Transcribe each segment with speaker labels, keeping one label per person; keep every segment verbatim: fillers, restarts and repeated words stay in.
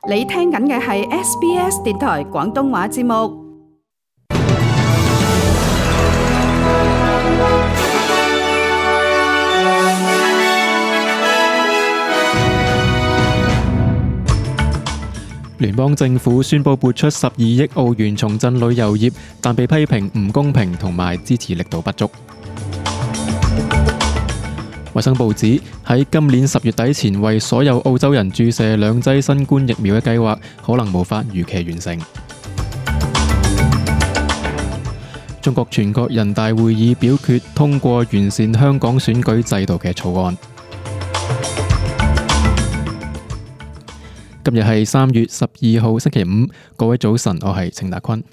Speaker 1: 你聽緊嘅係 S B S 電台廣東話節目。
Speaker 2: 聯邦政府宣布撥出十二億澳元重振旅遊業，但被批評唔公平同埋支持力度不足。衛生部指喺今年十月底前為所有澳洲人注射兩劑新冠疫苗嘅計劃可能無法如期完成。中國全國人大會議表決通過完善香港選舉制度嘅草案。今日係三月十二號星期五，各位早晨，我係程達坤。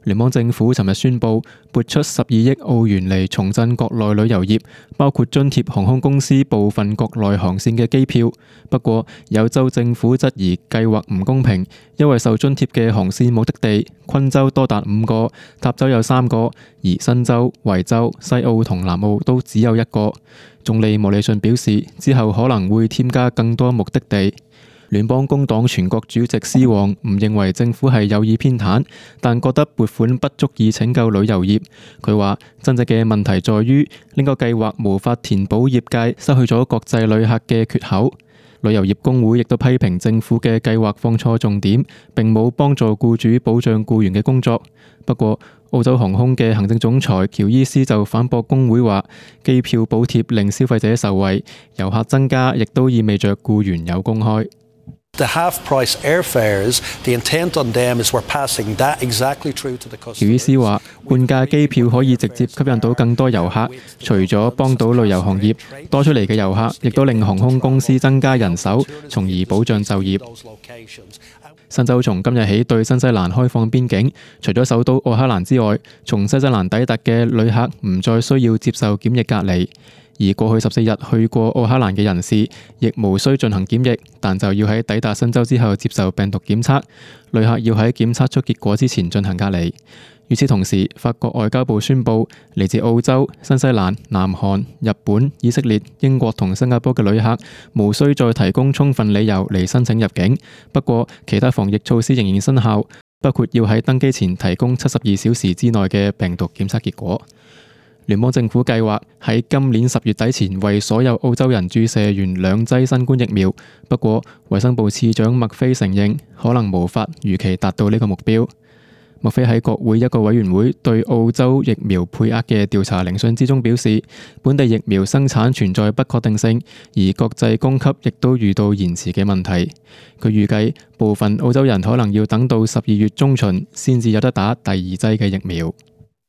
Speaker 2: 聯邦政府尋日宣布撥出十二億澳元嚟重振國內旅遊業，包括津貼航空公司部分國內航線嘅機票。不過有州政府質疑計劃唔公平，因為受津貼嘅航線目的地昆州多達五個，塔州有三個，而新州、維州、西澳同南澳都只有一個。總理莫里遜表示，之後可能會添加更多目的地。聯邦工黨全國主席施旺唔認為政府係有意偏袒，但覺得撥款不足以拯救旅遊業。佢話真正嘅問題在於呢個計劃無法填補業界失去咗國際旅客嘅缺口。旅遊業工會亦都批評政府嘅計劃放錯重點，並冇幫助僱主保障僱員嘅工作。不過澳洲航空嘅行政總裁喬伊斯就反駁工會話，機票補貼令消費者受惠，遊客增加亦都意味着僱員有工開。
Speaker 3: The half-price airfares, the intent on them is we're passing that exactly through to the customer.
Speaker 2: 喬伊斯話，半價機票可以直接吸引到更多遊客，除咗幫到旅遊行業，多出嚟嘅遊客亦都令航空公司增加人手，從而保障就業。新州從今日起對新西蘭開放邊境，除咗首都奧克蘭之外，從新西蘭抵達嘅旅客唔再需要接受檢疫隔離。而過去十四日去過奧克蘭嘅人士，亦無需進行檢疫，但就要喺抵達新州之後接受病毒檢測。旅客要喺檢測出結果之前進行隔離。與此同時，法國外交部宣布，嚟自澳洲、新西蘭、南韓、日本、以色列、英國同新加坡嘅旅客，無需再提供充分理由嚟申請入境。不過，其他防疫措施仍然生效，包括要喺登機前提供七十二小時之內嘅病毒檢測結果。聯邦政府計劃喺今年十月底前為所有澳洲人注射完兩劑新冠疫苗，不過衛生部次長麥菲承認可能無法如期達到呢個目標。麥菲喺國會一個委員會對澳洲疫苗配額嘅調查聆訊之中表示，本地疫苗生產存在不確定性，而國際供給亦都遇到延遲嘅問題。佢預計部分澳洲人可能要等到十二月中旬先至有得打第二劑嘅疫苗。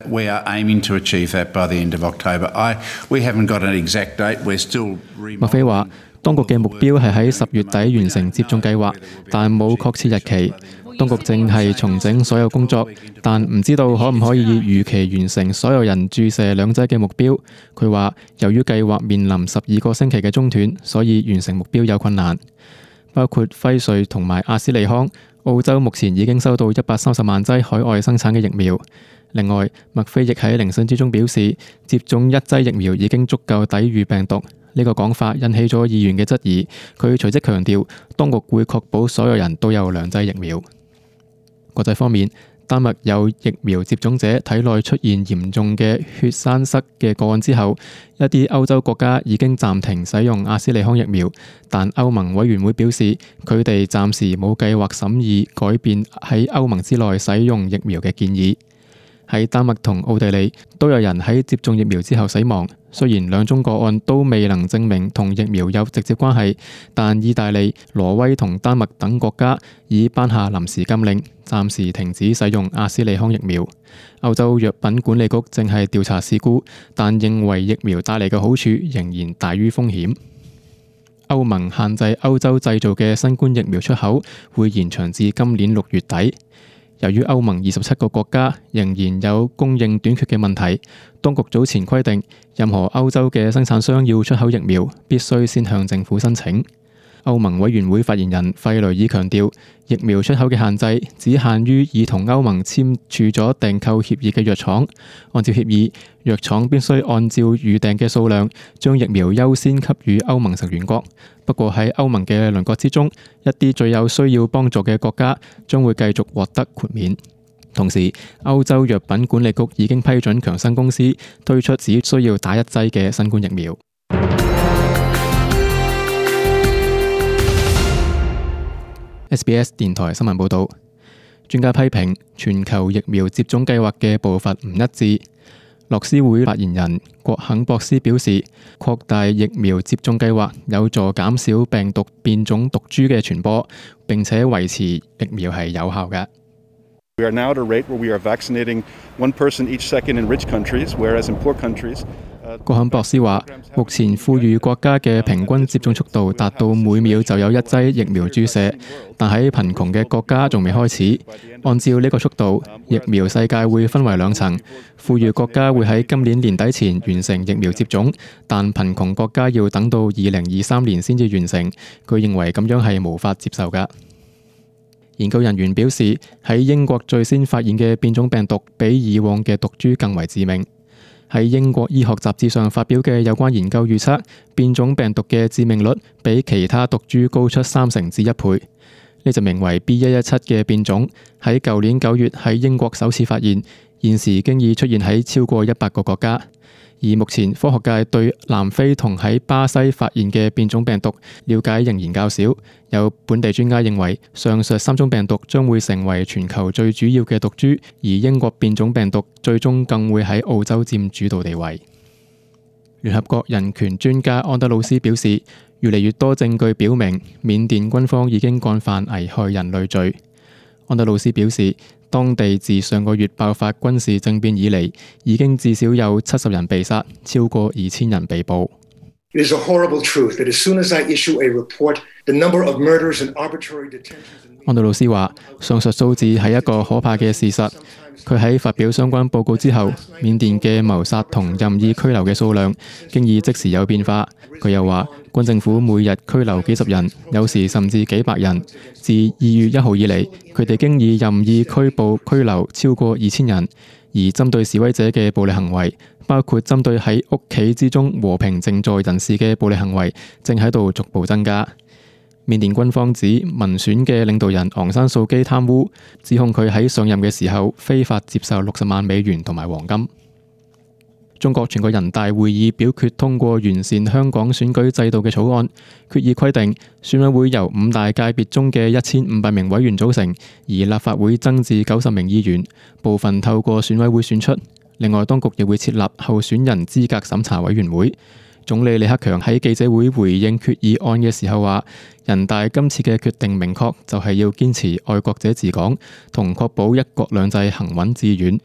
Speaker 4: We are aiming to achieve that by the end of October. I, we haven't got an exact date. We're still.
Speaker 2: 麥菲話，當局嘅目標係喺十月底完成接種計劃，但冇確切日期。當局正係重整所有工作，但唔知道可唔可以如期完成所有人注射兩劑嘅目標。佢話，由於計劃面臨十二個星期嘅中斷，所以完成目標有困難。包括輝瑞同埋阿斯利康，澳洲目前已經收到一百三十萬劑海外生產嘅疫苗。另外，麥菲亦喺聆訊之中表示，接種一劑疫苗已經足夠抵禦病毒。呢個講法引起咗議員嘅質疑。佢隨即強調，當局會確保所有人都有兩劑疫苗。國際方面，丹麥有疫苗接種者體內出現嚴重嘅血栓塞嘅個案之後，一啲歐洲國家已經暫停使用阿斯利康疫苗，但歐盟委員會表示，佢哋暫時冇計劃審議改變喺歐盟之內使用疫苗嘅建議。喺丹麥同奧地利都有人喺接種疫苗之後死亡，雖然兩宗個案都未能證明同疫苗有直接關係，但意大利、挪威同丹麥等國家已頒下臨時禁令，暫時停止使用阿斯利康疫苗。歐洲藥品管理局正係調查事故，但認為疫苗帶嚟嘅好處仍然大於風險。歐盟限制歐洲製造嘅新冠疫苗出口會延長至今年六月底。由於歐盟二十七個國家仍然有供應短缺嘅問題，當局早前規定，任何歐洲嘅生產商要出口疫苗，必須先向政府申請。歐盟委員會發言人費雷爾強調，疫苗出口嘅限制只限於已同歐盟簽署咗訂購協議嘅藥廠。按照協議，藥廠必須按照預訂嘅數量，將疫苗優先給予歐盟成員國。不過喺歐盟嘅鄰國之中，一啲最有需要幫助嘅國家將會繼續獲得豁免。同時，歐洲藥品管理局已經批准強生公司推出只需要打一劑嘅新冠疫苗。S B S 電台新聞報導，專家批評全球疫苗接種計劃嘅步伐唔一致。樂施會發言人郭肯博斯表示，擴大疫苗接種計劃有助減少病毒變種毒株嘅傳播，並且維持疫苗係有效嘅。
Speaker 5: We are now at a rate where we are vaccinating one person each second in rich countries, whereas in poor countries.
Speaker 2: 郭肯博斯話，目前富裕國家嘅平均接種速度達到每秒就有一劑疫苗注射，但喺貧窮嘅國家仲未開始。按照呢個速度，疫苗世界會分為兩層，富裕國家會喺今年年底前完成疫苗接種，但貧窮國家要等到二零二三年先至完成。佢認為咁樣係無法接受㗎。研究人員表示，喺英國最先發現嘅變種病毒比以往嘅毒株更為致命。喺英國醫學雜誌上發表嘅有關研究預測，變種病毒嘅致命率比其他毒株高出三成至一倍。呢隻名為 B 一一七 嘅變種喺舊年九月喺英國首次發現，現時經已出現喺超過一百個國家。而目前科學界對南非同喺巴西發現嘅變種病毒了解仍然較少。有本地專家認為，上述三種病毒將會成為全球最主要嘅毒株，而英國變種病毒最終更會喺澳洲佔主導地位。聯合國人權專家安德魯斯表示，越嚟越多證據表明緬甸軍方已經幹犯危害人類罪。安德魯斯表示，當地自上個月爆發軍事政變以嚟，已經至少有七十人被殺，超過二千人被捕。
Speaker 6: It is a horrible truth that as soon as I issue a report, the number of murders and arbitrary detentions.
Speaker 2: 安德魯斯話，上述數字係一個可怕嘅事實。佢喺發表相關報告之後，緬甸嘅謀殺同任意拘留嘅數量經已即時有變化。佢又話，軍政府每日拘留幾十人，有時甚至幾百人。自二月一號以嚟，佢哋經已任意拘捕拘留超過二千人。而針對示威者嘅暴力行為，包括針對喺屋企之中和平靜坐人士嘅暴力行為，正喺度逐步增加。緬甸軍方指民選嘅領導人昂山素基貪污，指控佢喺上任嘅時候非法接受六十萬美元同埋黃金。中國全國人大會議表決通過完善香港選舉制度嘅草案，決議規定選委會由五大界別中嘅一千五百名委員組成，而立法會增至九十名議員，部分透過選委會選出。另外，當局亦會設立候選人資格審查委員會。總理李克強喺記者會回應決議案嘅時候話，人大今次嘅決定明確就係要堅持愛國者治港，同確保一國兩制行穩致遠。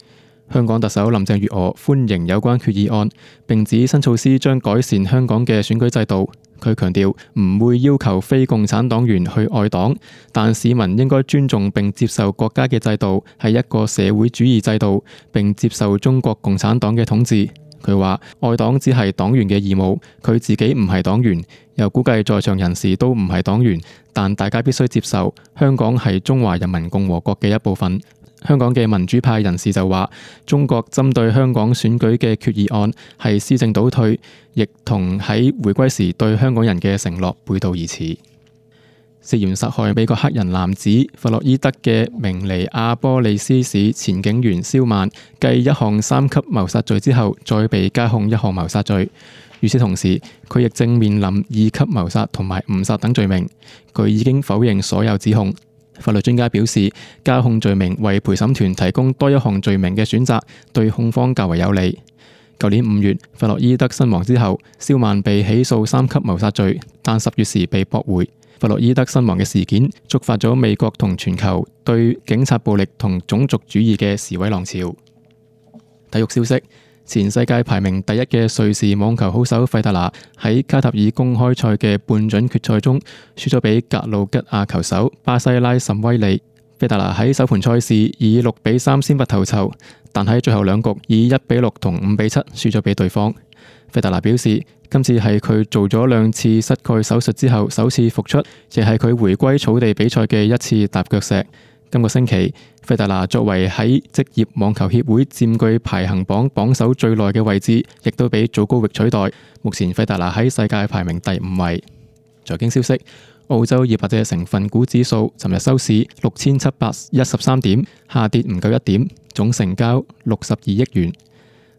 Speaker 2: 香港特首林鄭月娥歡迎有關決議案，並指新措施將改善香港嘅選舉制度。佢強調唔會要求非共產黨員去愛黨，但市民應該尊重並接受國家嘅制度係一個社會主義制度，並接受中國共產黨嘅統治。佢話愛黨只係黨員嘅義務，佢自己唔係黨員，又估計在場人士都唔係黨員，但大家必須接受香港係中華人民共和國嘅一部分。香港嘅民主派人士就話，中國針對香港選舉嘅決議案係施政倒退，亦同喺回歸時對香港人嘅承諾背道而馳。涉嫌殺害美國黑人男子弗洛伊德嘅明尼阿波利斯市前警員蕭曼，繼一項三級謀殺罪之後，再被加控一項謀殺罪。與此同時，佢亦正面臨二級謀殺同埋誤殺等罪名。佢已經否認所有指控。法律專家表示，加控罪名為陪審團提供多一項罪名嘅選擇，對控方較為有利。舊年五月，弗洛伊德身亡之後，蕭曼被起訴三級謀殺罪，但十月時被駁回。弗洛伊德身亡嘅事件觸發咗美國同全球對警察暴力同種族主義嘅示威浪潮。體育消息，前世界排名第一嘅瑞士網球好手費達拿喺卡塔爾公開賽嘅半準決賽中輸咗俾格魯吉亞球手巴西拉什威利。費達拿喺首盤賽事以六比三先拔頭籌，但喺最後兩局以一比六同五比七輸咗俾對方。費達拿表示，今次係佢做咗兩次膝蓋手術之後首次復出，亦係佢回歸草地比賽嘅一次踏腳石。今個星期，費達拿作為喺職業網球協會佔據排行榜榜首最耐嘅位置，亦都被祖高域取代。目前費達拿喺世界排名第五位。財經消息，澳洲二百隻成分股指數尋日收市六千七百一十三點，下跌唔夠一點，總成交六十二億元。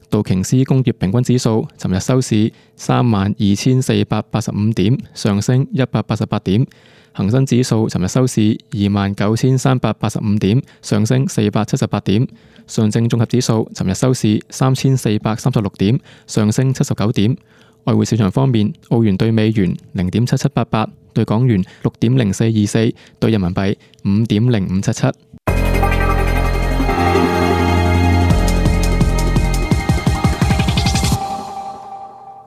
Speaker 2: 道瓊斯工業平均指數尋日收市三萬二千四百八十五點，上升一百八十八點。恒生指數尋日收市二萬九千三百八十五點，上升四百七十八點。上證綜合指數尋日收市三千四百三十六點，上升七十九點。外匯市場方面，澳元對美元零點七七八八，對港元六點零四二四，對人民幣五點零五七七。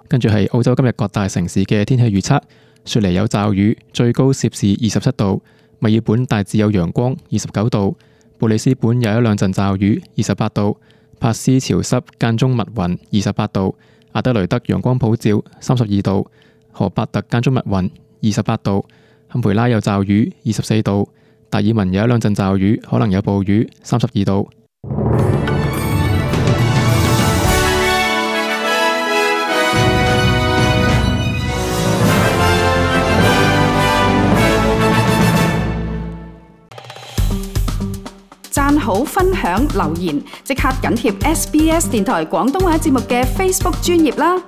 Speaker 2: 跟住係澳洲今日各大城市嘅天氣預測。雪梨有驟雨，最高攝氏二十七度；墨爾本大致有陽光，二十九度；布里斯本有一兩陣驟雨，二十八度；珀斯潮濕間中密雲，二十八度；阿德雷德陽光普照，三十二度；荷伯特間中密雲，二十八度；坎培拉有驟雨，二十四度；達爾文有一兩陣驟雨，可能有暴雨，三十二度。
Speaker 1: 讚好、分享、留言，即刻緊貼 S B S 電台廣東話節目嘅 Facebook 專頁啦！